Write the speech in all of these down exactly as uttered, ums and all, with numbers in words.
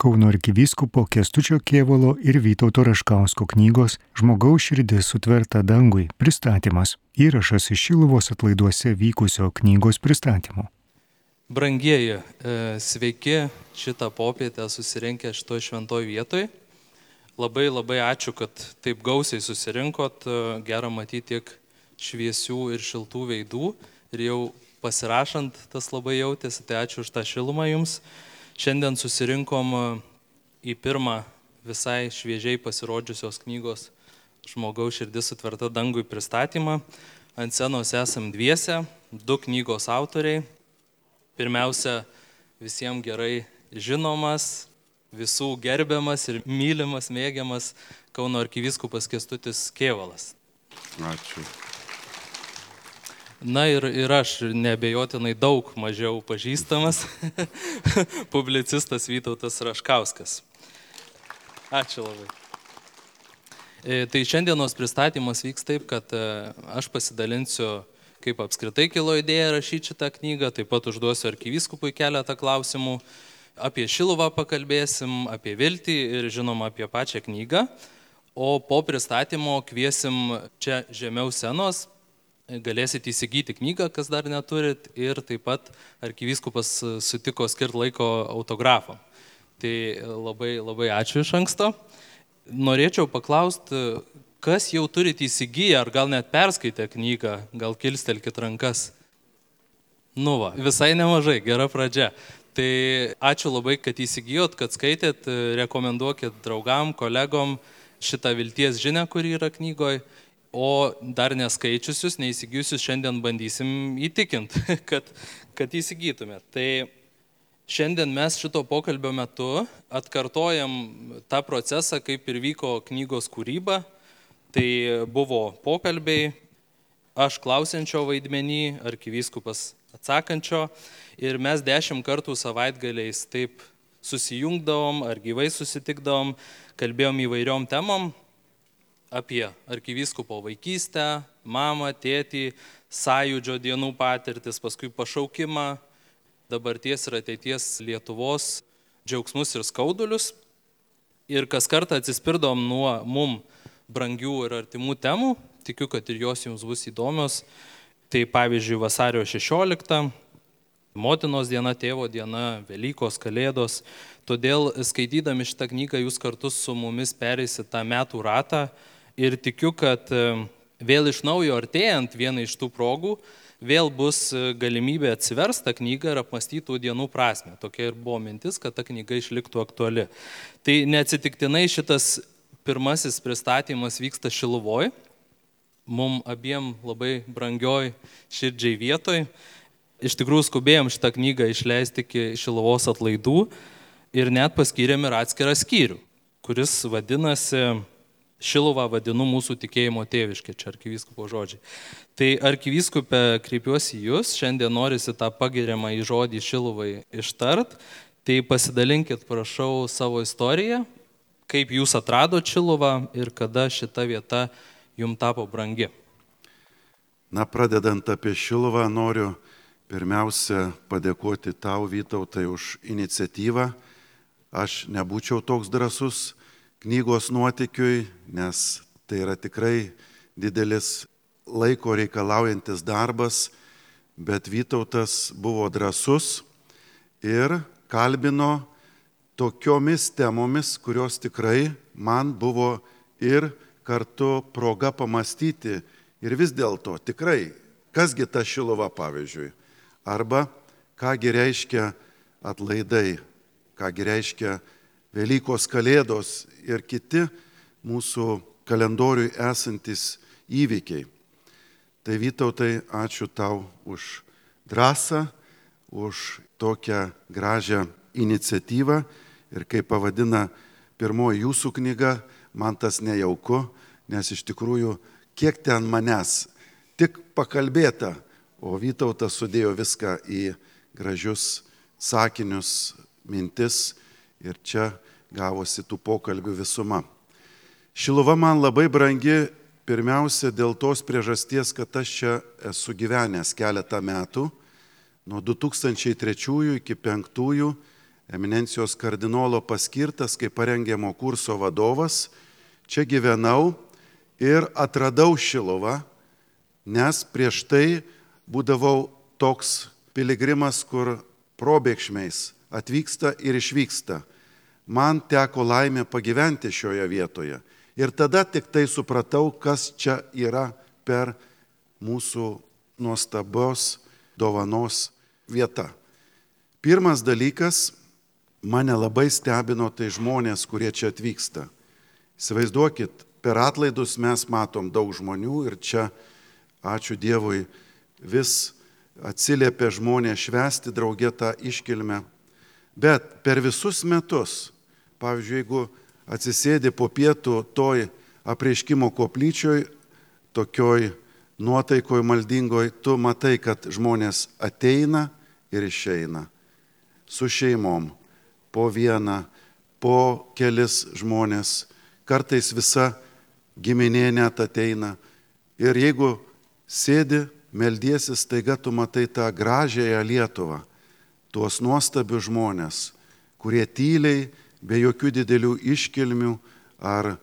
Kauno arkivyskupo Kęstučio Kėvalo ir Vytauto Raškausko knygos Žmogaus širdis sutverta dangui pristatymas. Įrašas iš Šiluvos atlaiduose vykusio knygos pristatymo. Brangieji, sveiki šitą popietę susirinkę šitoj šventoj vietoj. Labai labai ačiū, kad taip gausiai susirinkot. Gera matyti tiek šviesių ir šiltų veidų. Ir jau pasirašant tas labai jautėsi, tai ačiū už tą šilumą jums. Šiandien susirinkom į pirmą visai šviežiai pasirodžiusios knygos Žmogaus širdis sutverta dangui pristatymą. Ant scenos esam dviese, du knygos autoriai. Pirmiausia, visiems gerai žinomas, visų gerbiamas ir mylimas, mėgiamas Kauno arkivyskupas Kęstutis Kėvalas. Ačiū. Na ir, ir aš neabejotinai daug mažiau pažįstamas publicistas Vytautas Raškauskas. Ačiū labai. E, tai šiandienos pristatymas vyks taip, kad e, aš pasidalinsiu, kaip apskritai kilo idėja rašyti šitą knygą, taip pat užduosiu arkivyskupui keletą klausimų, apie Šiluvą pakalbėsim, apie viltį ir žinoma apie pačią knygą, o po pristatymo kviesim čia žemiau scenos, galėsit įsigyti knygą, kas dar neturit, ir taip pat arkivyskupas sutiko skirti laiko autografą. Tai labai, labai ačiū iš anksto. Norėčiau paklausti, kas jau turit įsigiję, ar gal net perskaitę knygą, gal kilstelkit rankas. Nu va, visai nemažai, gera pradžia. Tai ačiū labai, kad įsigijot, kad skaitėt, rekomenduokit draugam, kolegom šitą vilties žinią, kuri yra knygoje. O dar neskaičiusius, neįsigijusius šiandien bandysim įtikinti, kad, kad įsigytumėt. Tai šiandien mes šito pokalbio metu atkartojam tą procesą, kaip ir vyko knygos kūryba. Tai buvo pokalbiai, aš klausiančio vaidmenį, arkivyskupas atsakančio, ir mes dešimt kartų savaitgaliais taip susijungdavom ar gyvai susitikdavom, kalbėjom įvairiom temom, apie arkivyskupo vaikystę, mamą, tėtį, sąjūdžio dienų patirtis, paskui pašaukimą, dabarties ir ateities Lietuvos džiaugsmus ir skaudulius. Ir kas kartą atsispirdom nuo mum brangių ir artimų temų, tikiu, kad ir jos jums bus įdomios. Tai pavyzdžiui, vasario šešiolikta, motinos diena, tėvo diena, Velykos, Kalėdos. Todėl skaitydami šitą knygą jūs kartu su mumis pereisit tą metų ratą. Ir tikiu, kad vėl iš naujo artėjant vieną iš tų progų, vėl bus galimybė atsiversti tą knygą ir apmąstyti tų dienų prasmę. Tokia ir buvo mintis, kad ta knyga išliktų aktuali. Tai neatsitiktinai šitas pirmasis pristatymas vyksta Šiluvoj, mum abiem labai brangioj širdžiai vietoj. Iš tikrųjų skubėjom šitą knygą išleisti iki Šiluvos atlaidų ir net paskyrėm ir atskirą skyrių, kuris vadinasi Šiluvą vadinu mūsų tikėjimo tėviškė, čia arkivyskupo žodžiai. Tai arkivyskupė, kreipiuosi į jūs, šiandien norisi tą pagiriamą į žodį Šiluvai ištart, tai pasidalinkit, prašau, savo istoriją, kaip jūs atradot Šiluvą ir kada šita vieta jums tapo brangi. Na, pradedant apie Šiluvą, noriu pirmiausia padėkoti tau, Vytautai, už iniciatyvą. Aš nebūčiau toks drąsus knygos nuotykiui, nes tai yra tikrai didelis laiko reikalaujantis darbas, bet Vytautas buvo drąsus ir kalbino tokiomis temomis, kurios tikrai man buvo ir kartu proga pamastyti ir vis dėlto tikrai, kasgi ta Šiluva pavyzdžiui, arba kągi reiškia atlaidai, kągi reiškia Velykos, Kalėdos ir kiti mūsų kalendoriui esantis įvykiai. Tai Vytautai, ačiū tau už drąsą, už tokią gražią iniciatyvą ir kaip pavadina pirmoji jūsų knyga, man tas nejauku, nes iš tikrųjų kiek ten manęs tik pakalbėta, o Vytautas sudėjo viską į gražius sakinius, mintis. Ir čia gavosi tų pokalbių visuma. Šiluva man labai brangi pirmiausia dėl tos priežasties, kad aš čia esu gyvenęs keletą metų, nuo du tūkstančiai trečiųjų iki penktųjų eminencijos kardinolo paskirtas kaip parengiamo kurso vadovas. Čia gyvenau ir atradau Šiluvą, nes prieš tai būdavau toks piligrimas, kur probėgšmiais atvyksta ir išvyksta. Man teko laimė pagyventi šioje vietoje. Ir tada tik tai supratau, kas čia yra per mūsų nuostabios dovanos vieta. Pirmas dalykas, mane labai stebino tai žmonės, kurie čia atvyksta. Įsivaizduokit, per atlaidus mes matom daug žmonių ir čia, ačiū Dievui, vis atsiliepia žmonės švęsti draugė tą iškilmę. Bet per visus metus, pavyzdžiui, jeigu atsisėdi po pietų toj apreiškimo koplyčioj, tokioj nuotaikoj maldingoj, tu matai, kad žmonės ateina ir išeina su šeimom, po vieną, po kelis žmonės, kartais visa giminė net ateina. Ir jeigu sėdi, meldiesi, staiga tu matai tą gražiąją Lietuvą, tuos nuostabius žmonės, kurie tyliai, be jokių didelių iškilmių ar,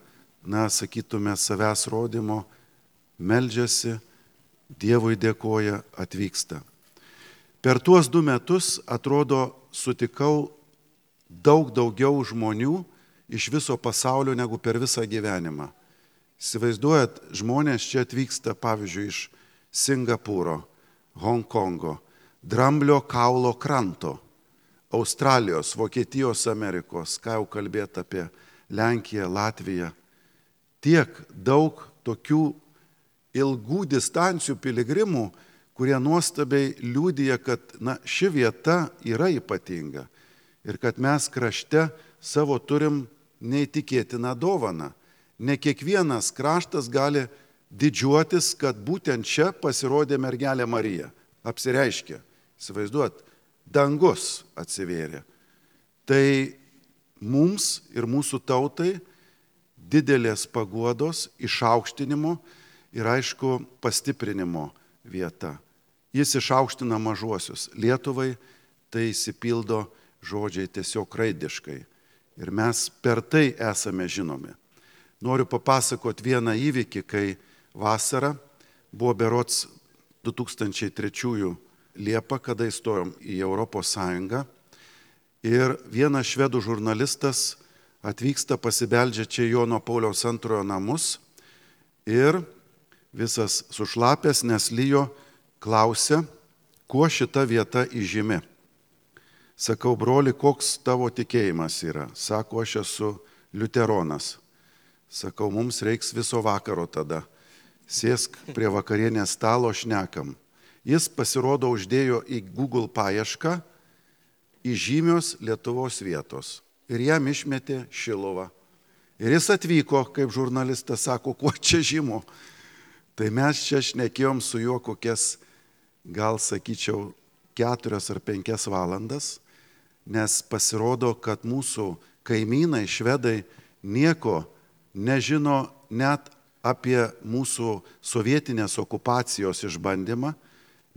na, sakytume, savęs rodymo, meldžiasi, Dievui dėkoja, atvyksta. Per tuos du metus, atrodo, sutikau daug daugiau žmonių iš viso pasaulio negu per visą gyvenimą. Įsivaizduojat, žmonės čia atvyksta, pavyzdžiui, iš Singapūro, Hongkongo, Dramblio kaulo kranto, Australijos, Vokietijos, Amerikos, ką jau kalbėti apie Lenkiją, Latviją. Tiek daug tokių ilgų distancijų piligrimų, kurie nuostabiai liudija, kad, na, ši vieta yra ypatinga ir kad mes krašte savo turim neįtikėtiną dovaną. Ne kiekvienas kraštas gali didžiuotis, kad būtent čia pasirodė mergelė Marija. Apsireiškė, įsivaizduot, dangus atsivėrė. Tai mums ir mūsų tautai didelės paguodos, išaukštinimo ir, aišku, pastiprinimo vieta. Jis išaukština mažuosius. Lietuvai tai įsipildo žodžiai tiesiog raidiškai. Ir mes per tai esame žinomi. Noriu papasakoti vieną įvykį, kai vasarą buvo berods du tūkstančiai trečiųjų Liepą, kada įstojom į Europos Sąjungą. Ir vienas švedų žurnalistas atvyksta, pasibeldžia čia Jono Pauliaus antrojo namus ir visas sušlapęs, nes lijo, klausia, kuo šita vieta įžymi. Sakau, broli, koks tavo tikėjimas yra? Sako, aš esu liuteronas. Sakau, mums reiks viso vakaro tada. Sėsk prie vakarienės stalo, šnekam. Jis pasirodo uždėjo į Google paiešką įžymios Lietuvos vietos. Ir jam išmetė Šiluvą. Ir jis atvyko, kaip žurnalistas sako, kuo čia žymu. Tai mes čia šnekėjom su juo kokias, gal sakyčiau, keturias ar penkias valandas, nes pasirodo, kad mūsų kaimynai, švedai, nieko nežino net apie mūsų sovietinės okupacijos išbandymą,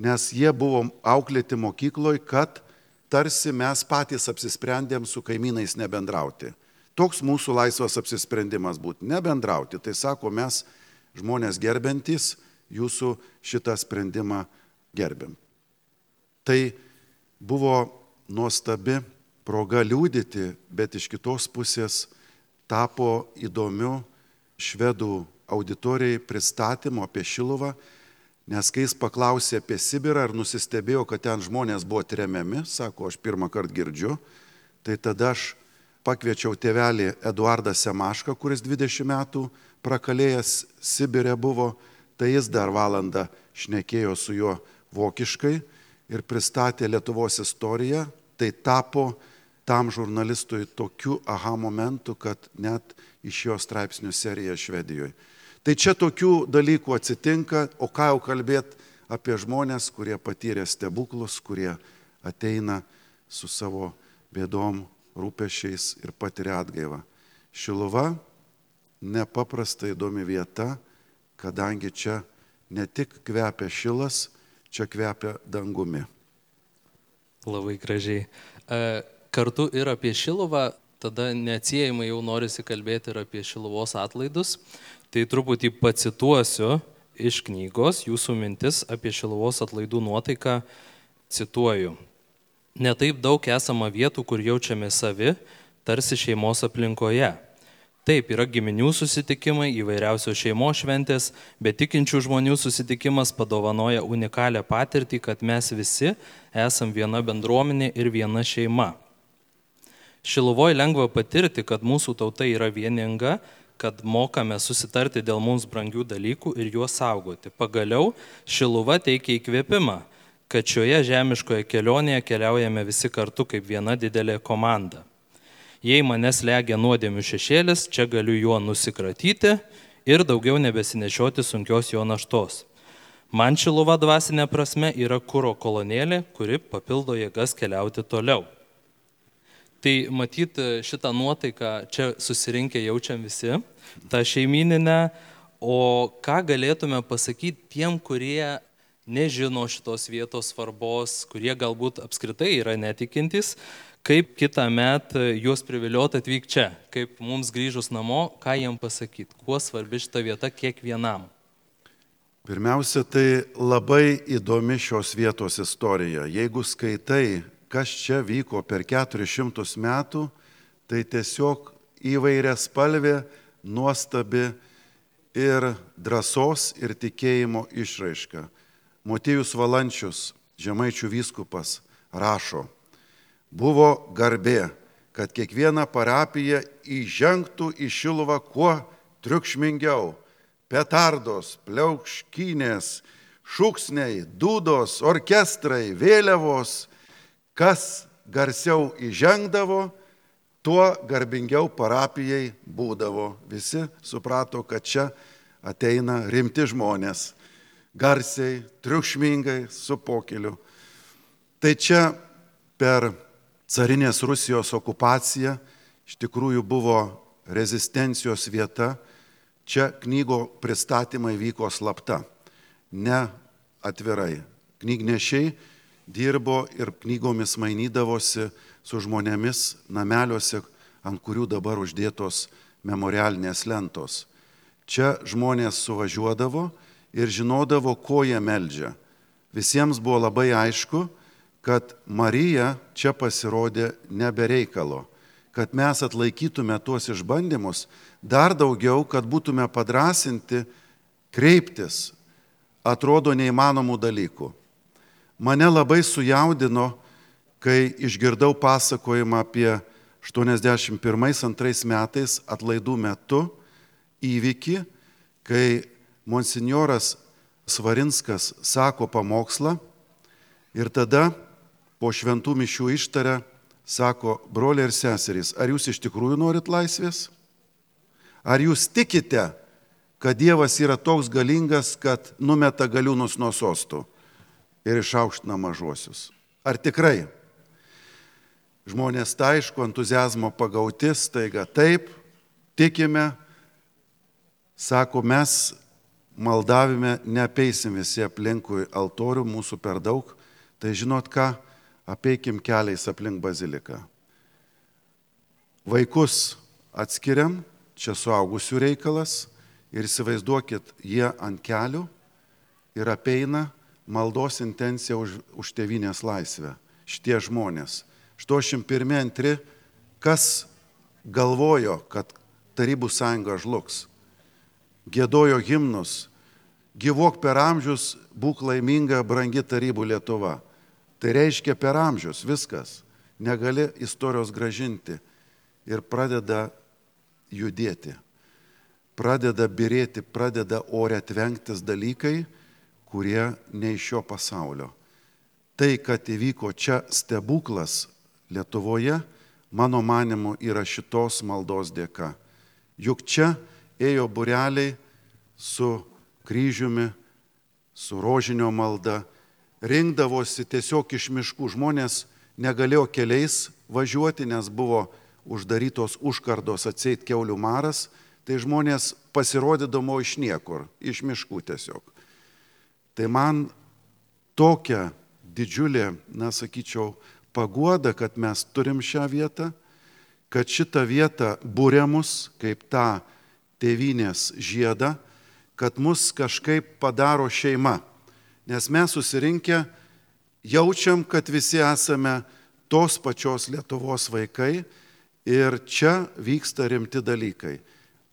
nes jie buvo auklėti mokykloje, kad tarsi mes patys apsisprendėm su kaimynais nebendrauti. Toks mūsų laisvas apsisprendimas būtų nebendrauti. Tai sako, mes žmonės gerbentys, jūsų šitą sprendimą gerbėm. Tai buvo nuostabi proga liudyti, bet iš kitos pusės tapo įdomiu švedų auditorijai pristatymo apie Šiluvą, nes kai jis paklausė apie Sibirą ir nusistebėjo, kad ten žmonės buvo tremiami, sako, aš pirmą kartą girdžiu, tai tada aš pakviečiau tėvelį Eduardą Semašką, kuris dvidešimt metų prakalėjęs Sibire buvo, tai jis dar valandą šnekėjo su juo vokiškai ir pristatė Lietuvos istoriją, tai tapo tam žurnalistui tokiu aha momentu, kad net iš jo straipsnių serija Švedijoje. Tai čia tokių dalykų atsitinka, o ką jau kalbėt apie žmonės, kurie patyrė stebuklus, kurie ateina su savo bėdom, rūpešiais ir patiria atgaivą. Šiluva nepaprastai įdomi vieta, kadangi čia ne tik kvepia šilas, čia kvepia dangumi. Labai gražiai. kartu ir apie Šiluvą, tada neatsiejamai jau norisi kalbėti ir apie Šiluvos atlaidus. Tai truputį pacituosiu iš knygos jūsų mintis apie Šiluvos atlaidų nuotaiką, cituoju. Netaip daug esama vietų, kur jaučiame savi, tarsi šeimos aplinkoje. Taip, yra giminių susitikimai, įvairiausios šeimos šventės, bet tikinčių žmonių susitikimas padovanoja unikalią patirtį, kad mes visi esam viena bendruomenė ir viena šeima. Šiluvoje lengva patirti, kad mūsų tauta yra vieninga, kad mokame susitarti dėl mums brangių dalykų ir juos saugoti. Pagaliau, Šiluva teikia įkvėpimą, kad šioje žemiškoje kelionėje keliaujame visi kartu kaip viena didelė komanda. Jei manęs legia nuodėmių šešėlis, čia galiu juo nusikratyti ir daugiau nebesinešioti sunkios jo naštos. Man Šiluva dvasinė prasme yra kuro kolonėlė, kuri papildo jėgas keliauti toliau. Tai matyt, šitą nuotaiką čia susirinkę jaučiam visi, tą šeimininę, o ką galėtume pasakyti tiem, kurie nežino šitos vietos svarbos, kurie galbūt apskritai yra netikintys, kaip kitą metą juos privilioti atvykti čia, kaip mums grįžus namo, ką jiem pasakyti, kuo svarbi šita vieta kiekvienam. Pirmiausia, tai labai įdomi šios vietos istorija. Jeigu skaitai, kas čia vyko per keturis šimtus metų, tai tiesiog įvairia spalvė, nuostabi ir drąsos ir tikėjimo išraiška. Motiejus Valančius, Žemaičių vyskupas, rašo: buvo garbė, kad kiekviena parapija įžengtų į Šiluvą kuo triukšmingiau. Petardos, pliaukškynės, šūksniai, dūdos, orkestrai, vėliavos. Kas garsiau įžengdavo, tuo garbingiau parapijai būdavo. Visi suprato, kad čia ateina rimti žmonės. Garsiai, triukšmingai, su pokiliu. Tai čia per carinės Rusijos okupacija iš tikrųjų buvo rezistencijos vieta. Čia knygo pristatymai vyko slapta, ne atvirai. Knygnešiai dirbo ir knygomis mainydavosi su žmonėmis nameliuose, ant kurių dabar uždėtos memorialinės lentos. Čia žmonės suvažiuodavo ir žinodavo, ko jie meldžia. Visiems buvo labai aišku, kad Marija čia pasirodė nebe reikalo, kad mes atlaikytume tuos išbandymus, dar daugiau, kad būtume padrasinti kreiptis, atrodo neįmanomų dalykų. Mane labai sujaudino, kai išgirdau pasakojimą apie aštuoniasdešimt pirmais antrais metais atlaidų metu įvykį, kai monsinjoras Svarinskas sako pamokslą ir tada po šventų mišių ištaria, sako: broliai ir seserys, ar jūs iš tikrųjų norit laisvės? Ar jūs tikite, kad Dievas yra toks galingas, kad numeta galiūnus nuo sostų ir išaukština mažuosius? Ar tikrai? Žmonės tai aišku, entuziazmo pagauti, staiga taip, tikime, sako, mes maldavime neapeisim visi aplinkui altorių, mūsų per daug, tai žinot ką, apeikim keliais aplink baziliką. Vaikus atskiriam, čia suaugusių reikalas, ir įsivaizduokit, jie ant kelių ir apeina maldos intenciją už, už tėvynės laisvę. Šitie žmonės. aštuoniasdešimt pirmi antri, kas galvojo, kad Tarybų sąjunga žlugs? Giedojo himnus: gyvuok per amžius, būk laiminga, brangi Tarybų Lietuva. Tai reiškia per amžius, viskas. Negali istorijos gražinti. Ir pradeda judėti. Pradeda birėti, pradeda ore tvenktis dalykai, kurie ne iš šio pasaulio. Tai, kad įvyko čia stebuklas Lietuvoje, mano manimu, yra šitos maldos dėka. Juk čia ėjo būreliai su kryžiumi, su rožinio malda, rinkdavosi tiesiog iš miškų. Žmonės negalėjo keliais važiuoti, nes buvo uždarytos užkardos, atseit kiaulių maras, tai žmonės pasirodydavo iš niekur, iš miškų tiesiog. Tai man tokia didžiulė, na sakyčiau, paguoda, kad mes turim šią vietą, kad šitą vietą būrė mus kaip tą tėvynės žiedą, kad mus kažkaip padaro šeima. Nes mes susirinkę jaučiam, kad visi esame tos pačios Lietuvos vaikai ir čia vyksta rimti dalykai.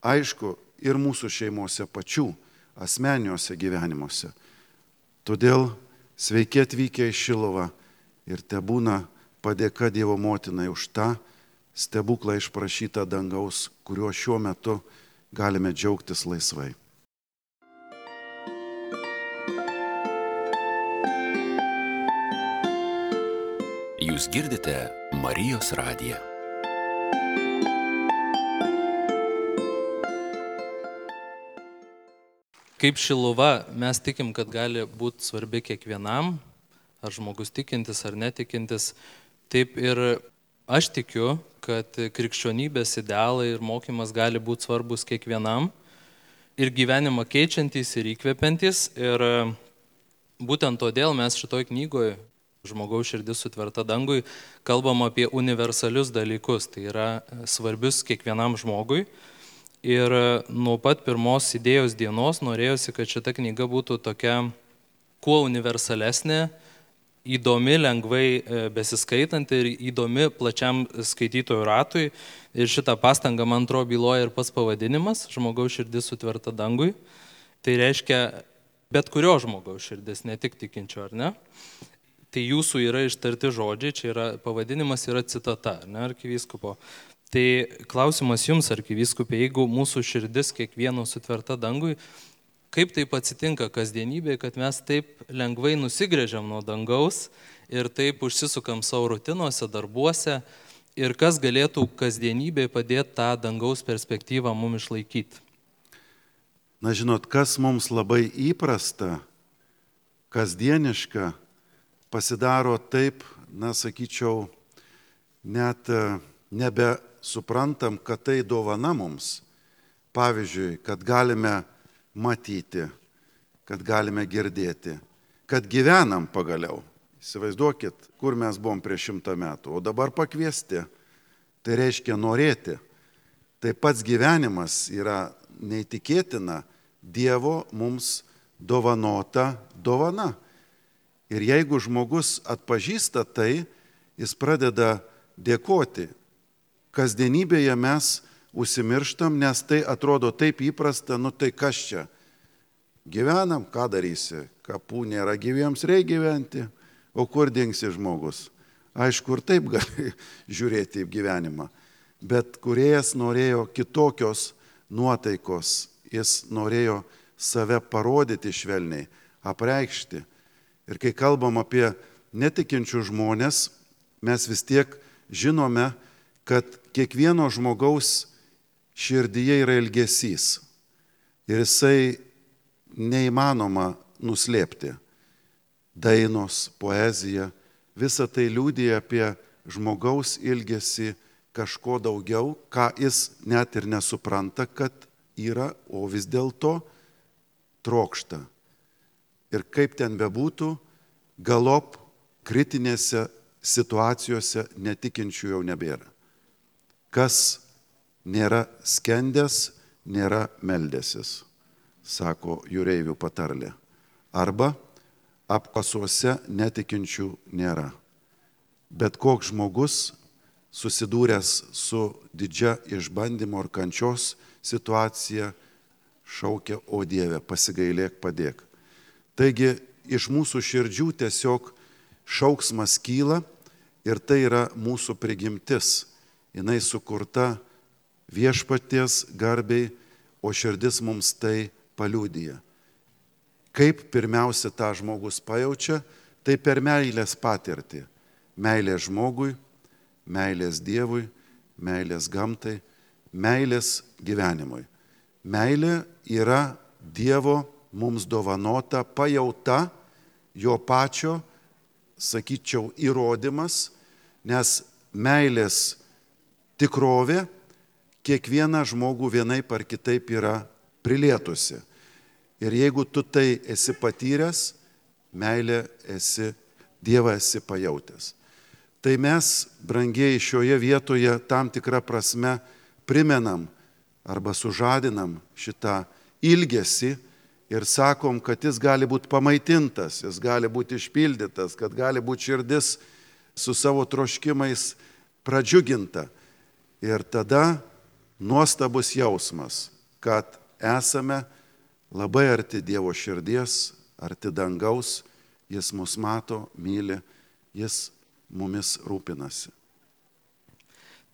Aišku, ir mūsų šeimose pačių, asmeniniuose gyvenimuose. Todėl sveiki atvykę į Šiluvą ir tebūna padėka Dievo motinai už tą stebuklą išprašytą dangaus, kuriuo šiuo metu galime džiaugtis laisvai. Jūs girdite Marijos radiją. Kaip Šiluva, mes tikim, kad gali būti svarbi kiekvienam, ar žmogus tikintis ar netikintis. Taip ir aš tikiu, kad krikščionybės idealai ir mokymas gali būti svarbus kiekvienam ir gyvenimą keičiantys ir įkvepiantys. Ir būtent todėl mes šitoj knygoje Žmogaus širdis sutverta dangui kalbam apie universalius dalykus, tai yra svarbius kiekvienam žmogui. Ir nuo pat pirmos idėjos dienos norėjosi, kad šita knyga būtų tokia kuo universalesnė, įdomi, lengvai besiskaitanti ir įdomi plačiam skaitytojų ratui. Ir šitą pastangą, man atrodo, byloja ir pats pavadinimas Žmogaus širdis sutverta dangui. Tai reiškia bet kurio žmogaus širdis, ne tik tikinčio, ar ne? Tai jūsų yra ištarti žodžiai, čia yra pavadinimas, yra citata, ar ne, arkivyskupo. Tai klausimas jums, arkivyskupė, jeigu mūsų širdis kiekvieno sutverta dangui, kaip taip atsitinka kasdienybėje, kad mes taip lengvai nusigrėžiam nuo dangaus ir taip užsisukam savo rutinuose, darbuose ir kas galėtų kasdienybėje padėti tą dangaus perspektyvą mums išlaikyti? Na žinot, kas mums labai įprasta, kasdieniška, pasidaro taip, na sakyčiau, net nebesuprantam, kad tai dovana mums. Pavyzdžiui, kad galime matyti, kad galime girdėti, kad gyvenam pagaliau. Įsivaizduokit, kur mes buvom prieš šimtą metų, o dabar pakviesti. Tai reiškia norėti. Tai pats gyvenimas yra neįtikėtina Dievo mums dovanota dovana. Ir jeigu žmogus atpažįsta tai, jis pradeda dėkoti. Kasdienybėje mes užsimirštam, nes tai atrodo taip įprasta, nu tai kas čia? Gyvenam, ką darysi? Kapų nėra gyviems, reikia gyventi. O kur dingsi žmogus? Aišku, ir taip gali žiūrėti į gyvenimą. Bet kūrėjas norėjo kitokios nuotaikos. Jis norėjo save parodyti švelniai, apreikšti. Ir kai kalbam apie netikinčių žmonės, mes vis tiek žinome, kad kiekvieno žmogaus širdyje yra ilgesys. Ir jisai neįmanoma nuslėpti. Dainos, poezija, visa tai liudija apie žmogaus ilgesį kažko daugiau, ką jis net ir nesupranta, kad yra, o vis dėlto trokšta. Ir kaip ten bebūtų, galop kritinėse situacijose netikinčių jau nebėra. Kas nėra skendęs, nėra meldęsis, sako jūreivių patarlė. Arba apkasuose netikinčių nėra. Bet koks žmogus susidūręs su didžia išbandymo ir kančios situacija šaukia, o Dieve, pasigailėk, padėk. Taigi iš mūsų širdžių tiesiog šauksmas kyla ir tai yra mūsų prigimtis. Jinai sukurta viešpaties garbiai, o širdis mums tai paliudija. Kaip pirmiausia tą žmogus pajaučia, tai per meilės patirtį. Meilės žmogui, meilės Dievui, meilės gamtai, meilės gyvenimui. Meilė yra Dievo mums dovanota pajauta, jo pačio, sakyčiau, įrodymas, nes meilės tikrovė kiekvieną žmogų vienaip ar kitaip yra prilietusi. Ir jeigu tu tai esi patyręs, meilė esi, Dievą esi pajautęs. Tai mes, brangieji, šioje vietoje tam tikrą prasme primenam arba sužadinam šitą ilgesį ir sakom, kad jis gali būti pamaitintas, jis gali būti išpildytas, kad gali būti širdis su savo troškimais pradžiuginta. Ir tada nuostabus jausmas, kad esame labai arti Dievo širdies, arti dangaus, jis mus mato, myli, jis mumis rūpinasi.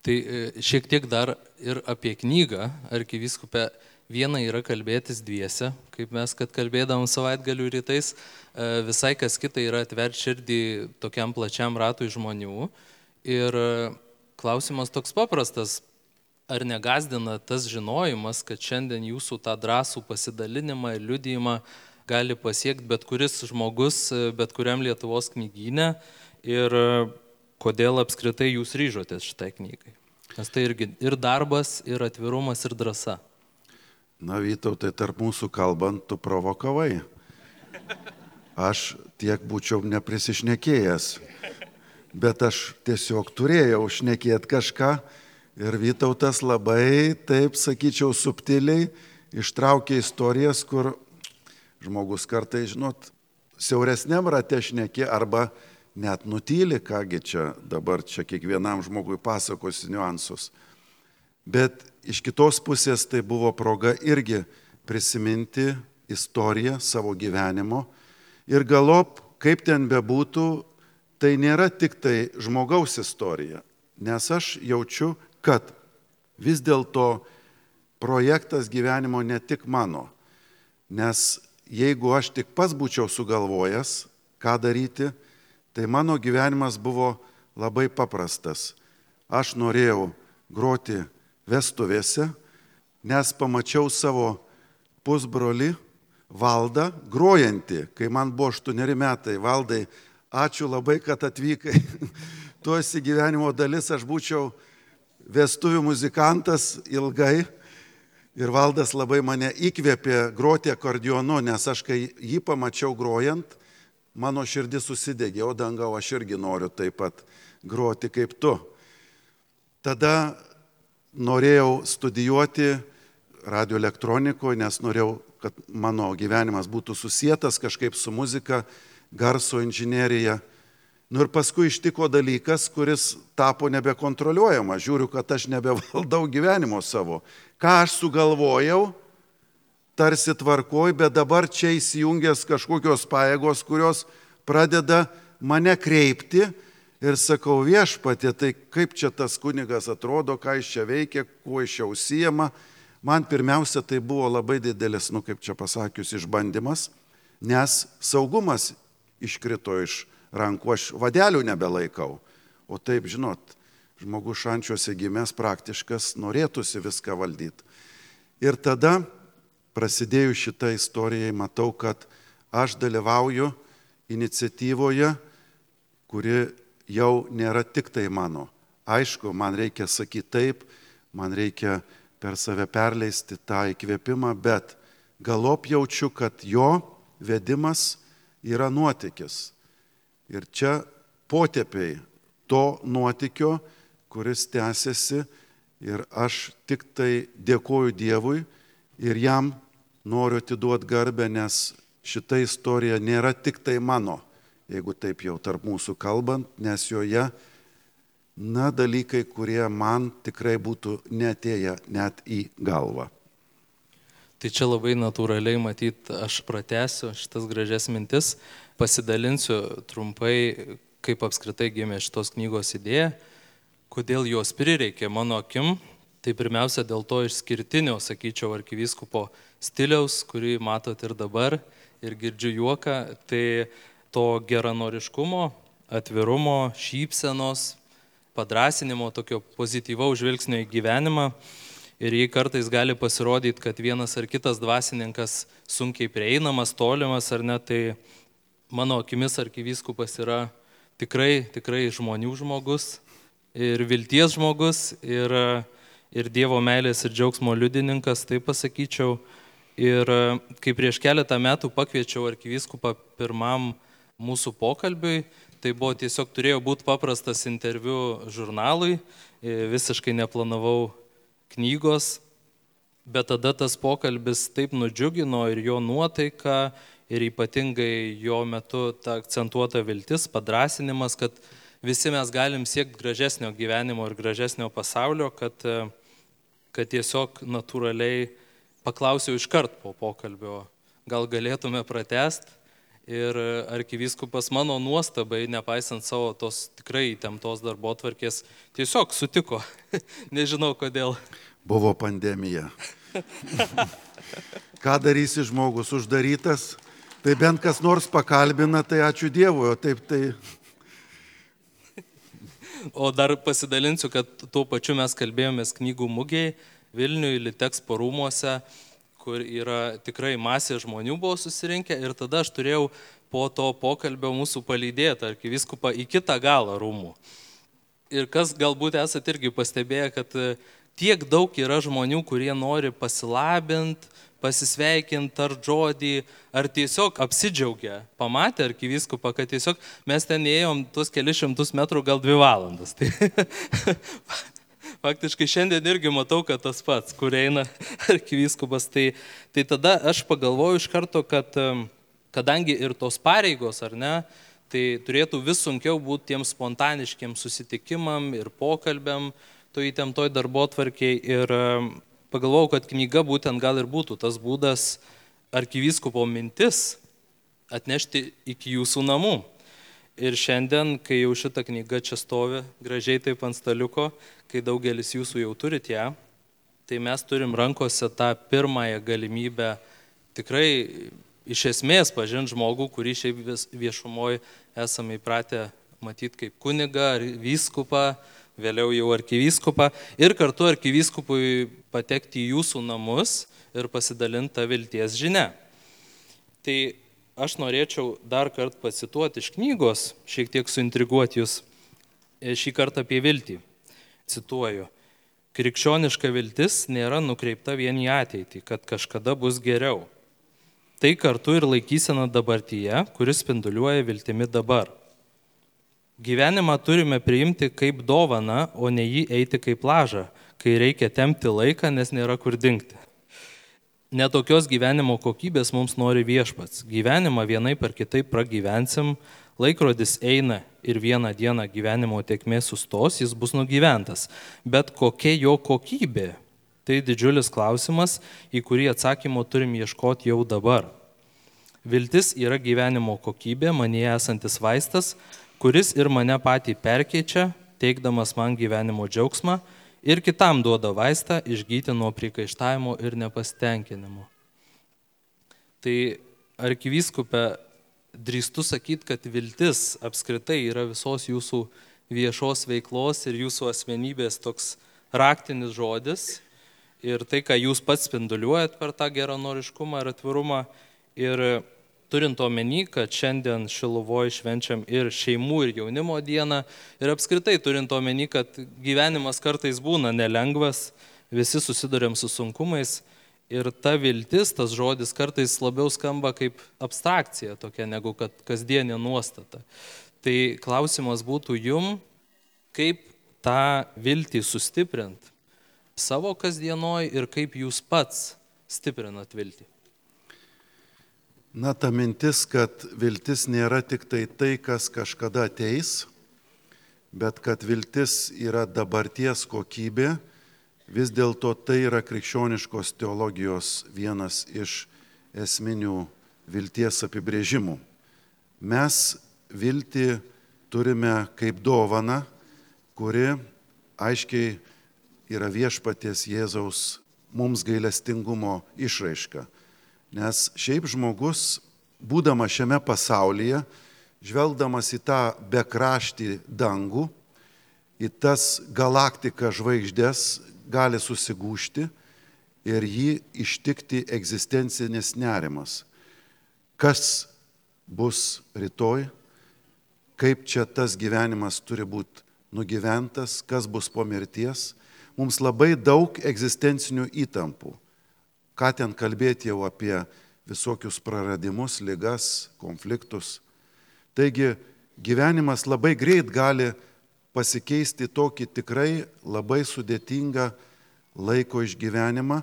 Tai šiek tiek dar ir apie knygą, arkivyskupė. Viena yra kalbėtis dviese, kaip mes, kad kalbėdavom savaitgalių rytais, visai kas kita yra atverti širdį tokiam plačiam ratui žmonių. Ir klausimas toks paprastas, ar negazdina tas žinojimas, kad šiandien jūsų tą drąsų pasidalinimą ir liudijimą gali pasiekti bet kuris žmogus, bet kuriam Lietuvos knygyne, ir kodėl apskritai jūs ryžotės šitai knygai? Nes tai irgi ir darbas, ir atvirumas, ir drąsa. Na, Vytautai, tarp mūsų kalbant, tu provokavai. Aš tiek būčiau neprisišnekėjęs, bet aš tiesiog turėjau šnekėti kažką ir Vytautas labai, taip sakyčiau, subtiliai ištraukė istorijas, kur žmogus kartai, žinot, siauresniam rate šnekė arba net nutyli, kągi čia dabar čia kiekvienam žmogui pasakosi niuansus. Bet iš kitos pusės tai buvo proga irgi prisiminti istoriją savo gyvenimo ir galop, kaip ten bebūtų, tai nėra tik tai žmogaus istorija, nes aš jaučiu, kad vis dėlto projektas gyvenimo ne tik mano, nes jeigu aš tik pats būčiau sugalvojęs, ką daryti, tai mano gyvenimas buvo labai paprastas. Aš norėjau groti vestuvėse, nes pamačiau savo pusbrolį Valdą grojantį, kai man buvo aštuoneri metai. Valdai, ačiū labai, kad atvykai. Tu esi gyvenimo dalis, aš būčiau vestuvių muzikantas ilgai. Ir Valdas labai mane įkvėpė groti akordionu, nes aš kai jį pamačiau grojant, mano širdis susidegė, o dangau, aš irgi noriu taip pat groti kaip tu. Tada norėjau studijuoti radioelektronikoje, nes norėjau, kad mano gyvenimas būtų susietas kažkaip su muzika, garso inžinerija. Nu ir paskui ištiko dalykas, kuris tapo nebekontroliuojama. Žiūriu, kad aš nebevaldau gyvenimo savo. Ką aš sugalvojau, tarsi tvarkoj, bet dabar čia įsijungęs kažkokios pajėgos, kurios pradeda mane kreipti. Ir sakau, viešpatie, tai kaip čia tas kunigas atrodo, ką jis čia veikia, kuo jis čia užsijama. Man pirmiausia, tai buvo labai didelis, nu kaip čia pasakius, išbandymas, nes saugumas iškrito iš rankų, aš vadelių nebelaikau. O taip, žinot, žmogus šančiuose gimęs praktiškas, norėtųsi viską valdyti. Ir tada, prasidėjus šitą istoriją, matau, kad aš dalyvauju iniciatyvoje, kuri jau nėra tik tai mano. Aišku, man reikia sakyti taip, man reikia per save perleisti tą įkvėpimą, bet galop jaučiu, kad jo vedimas yra nuotykis. Ir čia potėpiai to nuotykio, kuris tęsiasi, ir aš tik tai dėkoju Dievui ir jam noriu atiduoti garbę, nes šita istorija nėra tik tai mano, jeigu taip jau tarp mūsų kalbant, nes joje, na, dalykai, kurie man tikrai būtų neatėję net į galvą. Tai čia labai natūraliai matyt, aš pratęsiu šitas gražias mintis, pasidalinsiu trumpai, kaip apskritai gimė šitos knygos idėja, kodėl jos prireikė mano akim. Tai pirmiausia dėl to išskirtinio, sakyčiau, arkivyskupo stiliaus, kurį matot ir dabar, ir girdžiu juoką, tai to geranoriškumo, atvirumo, šypsenos, padrąsinimo, tokio pozityvaus žvilgsnio į gyvenimą. Ir jei kartais gali pasirodyti, kad vienas ar kitas dvasininkas sunkiai prieinamas, tolimas ar ne, tai mano akimis arkivyskupas yra tikrai, tikrai žmonių žmogus ir vilties žmogus ir, ir Dievo meilės ir džiaugsmo liudininkas, taip pasakyčiau. Ir kai prieš keletą metų pakviečiau arkivyskupą pirmam mūsų pokalbiui, Tai buvo tiesiog turėjo būti paprastas interviu žurnalui, visiškai neplanavau knygos, bet tada tas pokalbis taip nudžiugino ir jo nuotaika, ir ypatingai jo metu ta akcentuota viltis, padrasinimas, kad visi mes galim siekti gražesnio gyvenimo ir gražesnio pasaulio, kad, kad tiesiog natūraliai paklausiau iškart po pokalbio, gal galėtume pratęsti. Ir arkivyskupas mano nuostabai, nepaisant savo tos tikrai įtemptos darbotvarkės, tiesiog sutiko. Nežinau kodėl. Buvo pandemija. Ką darysi žmogus uždarytas? Tai bent kas nors pakalbina, tai ačiū Dievui, o taip tai... O dar pasidalinsiu, kad tuo pačiu mes kalbėjomės knygų mugėje Vilniuje, Litexpo rūmuose, kur yra tikrai masė žmonių buvo susirinkę ir tada aš turėjau po to pokalbio mūsų palydėti arkivyskupą į kitą galą rūmų. Ir kas galbūt esate irgi pastebėję, kad tiek daug yra žmonių, kurie nori pasilabinti, pasisveikinti ar žodį, ar tiesiog apsidžiaugia, pamatė arkivyskupą, kad tiesiog mes ten ėjom tuos kelius šimtus metrų gal dvi valandas. Tai faktiškai šiandien irgi matau, kad tas pats, kur eina arkivyskupas. Tai, tai tada aš pagalvoju iš karto, kad kadangi ir tos pareigos, ar ne, tai turėtų vis sunkiau būti tiem spontaniškiem susitikimam ir pokalbiam, to įtemptoj darbotvarkiai. Ir pagalvojau, kad knyga būtent gal ir būtų tas būdas arkivyskupo mintis atnešti iki jūsų namų. Ir šiandien, kai jau šita knyga čia stovi, gražiai taip ant staliuko, kai daugelis jūsų jau turit ją, tai mes turim rankose tą pirmąją galimybę tikrai iš esmės pažinti žmogų, kurį šiaip viešumoje esame įpratę matyti kaip kunigą ar vyskupą, vėliau jau arkivyskupą, ir kartu arkivyskupui patekti į jūsų namus ir pasidalinti tą vilties žinią. Tai aš norėčiau dar kartą pacituoti iš knygos, šiek tiek suintriguoti jūs, šį kartą apie viltį. Cituoju. Krikščioniška viltis nėra nukreipta vien į ateitį, kad kažkada bus geriau. Tai kartu ir laikysena dabartyje, kuris spinduliuoja viltimi dabar. Gyvenimą turime priimti kaip dovaną, o ne jį eiti kaip lažą, kai reikia tempti laiką, nes nėra kur dingti. Netokios gyvenimo kokybės mums nori viešpats. Gyvenimą vienaip ar kitaip pragyvensim, laikrodis eina ir vieną dieną gyvenimo tėkmė sustos, jis bus nugyventas. Bet kokia jo kokybė? Tai didžiulis klausimas, į kurį atsakymo turim ieškoti jau dabar. Viltis yra gyvenimo kokybė, manyje esantis vaistas, kuris ir mane patį perkeičia, teikdamas man gyvenimo džiaugsmą, ir kitam duoda vaistą išgyti nuo priekaištavimo ir nepasitenkinimo. Tai arkivyskupė, drįstu sakyti, kad viltis apskritai yra visos jūsų viešos veiklos ir jūsų asmenybės toks raktinis žodis. Ir tai, ką jūs pats spinduliuojat per tą geranoriškumą ir atvirumą. Ir turint omeny, kad šiandien Šiluvoj švenčiam ir šeimų ir jaunimo dieną, ir apskritai turint omeny, kad gyvenimas kartais būna nelengvas, visi susiduriam su sunkumais, ir ta viltis, tas žodis kartais labiau skamba kaip abstrakcija tokia, negu kad kasdienė nuostata. Tai klausimas būtų jum, kaip tą viltį sustiprint savo kasdienoj ir kaip jūs pats stiprinat viltį. Na, ta mintis, kad viltis nėra tik tai tai, kas kažkada ateis, bet kad viltis yra dabarties kokybė, vis dėlto tai yra krikščioniškos teologijos vienas iš esminių vilties apibrėžimų. Mes viltį turime kaip dovaną, kuri aiškiai yra viešpaties Jėzaus mums gailestingumo išraiška. Nes šiaip žmogus, būdamas šiame pasaulyje, žvelgdamas į tą bekraštį dangų, į tas galaktiką žvaigždės, gali susigūžti ir jį ištikti egzistencinis nerimas. Kas bus rytoj, kaip čia tas gyvenimas turi būti nugyventas, kas bus po mirties. Mums labai daug egzistencinių įtampų. Ką ten kalbėti jau apie visokius praradimus, ligas, konfliktus. Taigi gyvenimas labai greit gali pasikeisti tokį tikrai labai sudėtingą laiko išgyvenimą,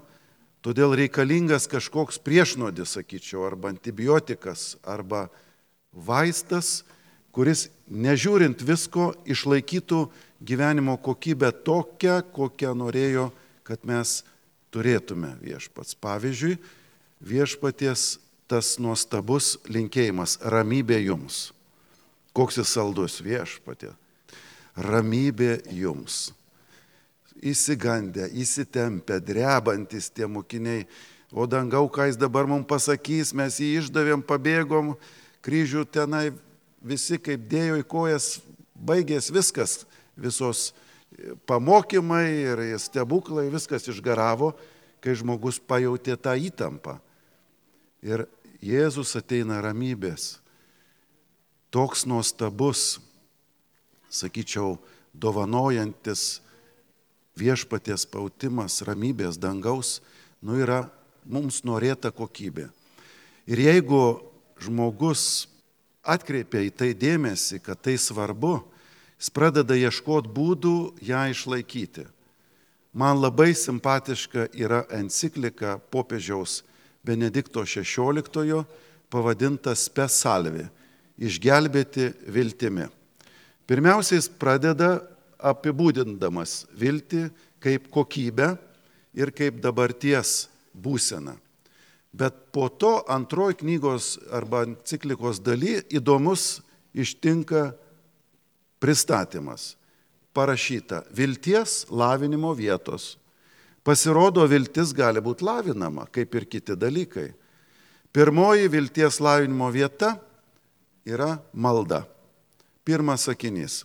todėl reikalingas kažkoks priešnodis, sakyčiau, arba antibiotikas, arba vaistas, kuris, nežiūrint visko, išlaikytų gyvenimo kokybę tokią, kokią norėjo, kad mes turėtume viešpats. Pavyzdžiui, viešpaties tas nuostabus linkėjimas - ramybė jums. Koks jis saldus, viešpatie. Ramybė jums. Įsigandę, įsitempę, drebantis tie mokiniai. O dangau, ką jis dabar mums pasakys, mes jį išdavėm, pabėgom, kryžių tenai visi kaip dėjo į kojas, baigės viskas, visos pamokymai ir stebuklai, viskas išgaravo, kai žmogus pajautė tą įtampą. Ir Jėzus ateina ramybės. Toks nuostabus, sakyčiau, dovanojantis viešpaties pautimas, ramybės dangaus, nu yra mums norėta kokybė. Ir jeigu žmogus atkreipia į tai dėmesį, kad tai svarbu, jis pradeda ieškoti būdų ją išlaikyti. Man labai simpatiška yra enciklika popiežiaus Benedikto šešioliktojo pavadinta Spes Salvi - išgelbėti viltimi. Pirmiausia, jis pradeda apibūdindamas viltį kaip kokybę ir kaip dabarties būseną. Bet po to antroji knygos arba enciklikos daly įdomus ištinka pristatymas. Parašyta vilties lavinimo vietos. Pasirodo, viltis gali būti lavinama, kaip ir kiti dalykai. Pirmoji vilties lavinimo vieta yra malda. Pirmas sakinys.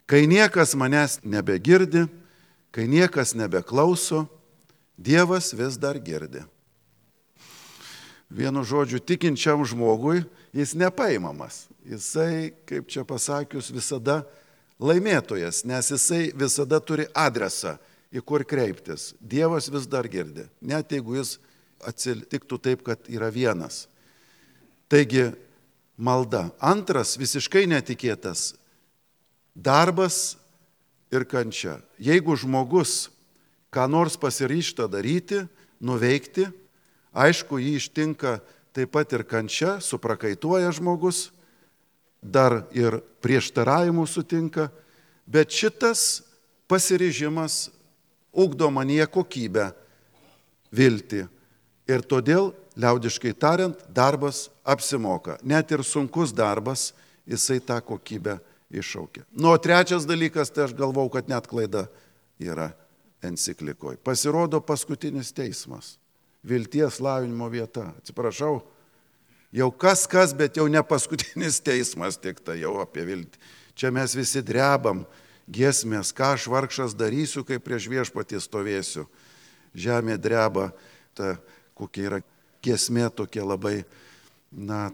Kai niekas manęs nebegirdi, kai niekas nebeklauso, Dievas vis dar girdi. Vienu žodžiu, tikinčiam žmogui jis nepaimamas. Jisai, kaip čia pasakius, visada laimėtojas, nes jisai visada turi adresą, į kur kreiptis. Dievas vis dar girdi, net jeigu jis atsitiktų taip, kad yra vienas. Taigi, malda. Antras, visiškai netikėtas, darbas ir kančia. Jeigu žmogus ką nors pasiryžta daryti, nuveikti, aišku, jį ištinka taip pat ir kančia, suprakaituoja žmogus, dar ir prieštaravimų sutinka, bet šitas pasiryžimas ugdo manyje kokybę, viltį. Ir todėl, liaudiškai tariant, darbas apsimoka. Net ir sunkus darbas, jisai tą kokybę iššaukia. Nu, o trečias dalykas, tai aš galvau, kad net klaida yra enciklikoje. Pasirodo paskutinis teismas. Vilties lavinimo vieta. Atsiprašau, jau kas kas, bet jau ne paskutinis teismas, tik tai jau apie viltį. Čia mes visi drebam, giesmės, ką aš vargšas darysiu, kai prieš viešpatį stovėsiu. Žemė dreba, ta kokia yra giesmė tokia labai, na,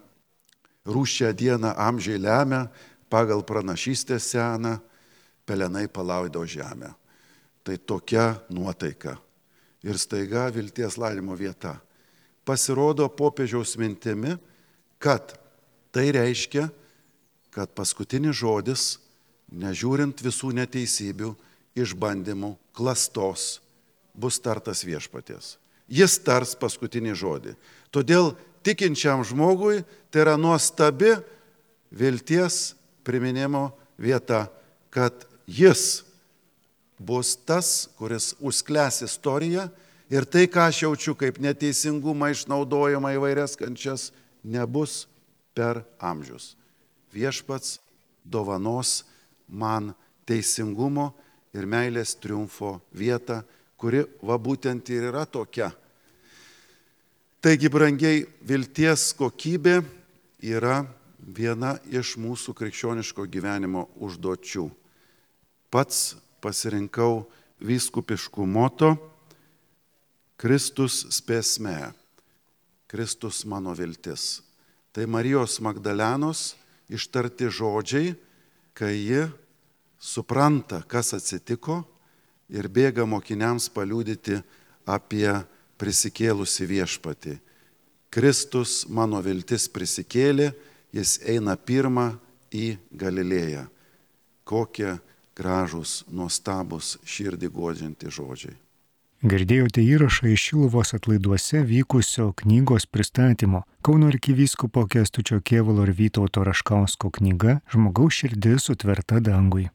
rūščią dieną amžiai lemia, pagal pranašystę seną, pelenai palaido žemę. Tai tokia nuotaika. Ir staiga vilties lavinimo vieta. Pasirodo popiežiaus mintimi, kad tai reiškia, kad paskutinis žodis, nežiūrint visų neteisybių, išbandymų, klastos, bus tartas viešpaties. Jis tars paskutinį žodį. Todėl tikinčiam žmogui tai yra nuostabi vilties priminimo vieta, kad jis bus tas, kuris užsklęs istoriją ir tai, ką aš jaučiu kaip neteisingumą, išnaudojimą įvairias kančias, nebus per amžius. Viešpats dovanos man teisingumo ir meilės triumfo vietą, kuri va būtent ir yra tokia. Taigi, brangiai, vilties kokybė yra viena iš mūsų krikščioniško gyvenimo užduočių. Pats pasirinkau vyskupiškų moto Kristus spes me, Kristus mano viltis. Tai Marijos Magdalenos ištarti žodžiai, kai ji supranta, kas atsitiko ir bėga mokiniams paliudyti apie prisikėlusi viešpatį. Kristus mano viltis prisikėlė, jis eina pirmą į Galilėją. Kokie gražūs, nuostabus, širdį guodžiantys žodžiai. Girdėjote įrašą iš Šiluvos atlaiduose vykusio knygos pristatymo. Kauno arkivyskupo Kęstučio Kėvalo ir Vytauto Raškausko knyga Žmogaus širdis sutverta dangui.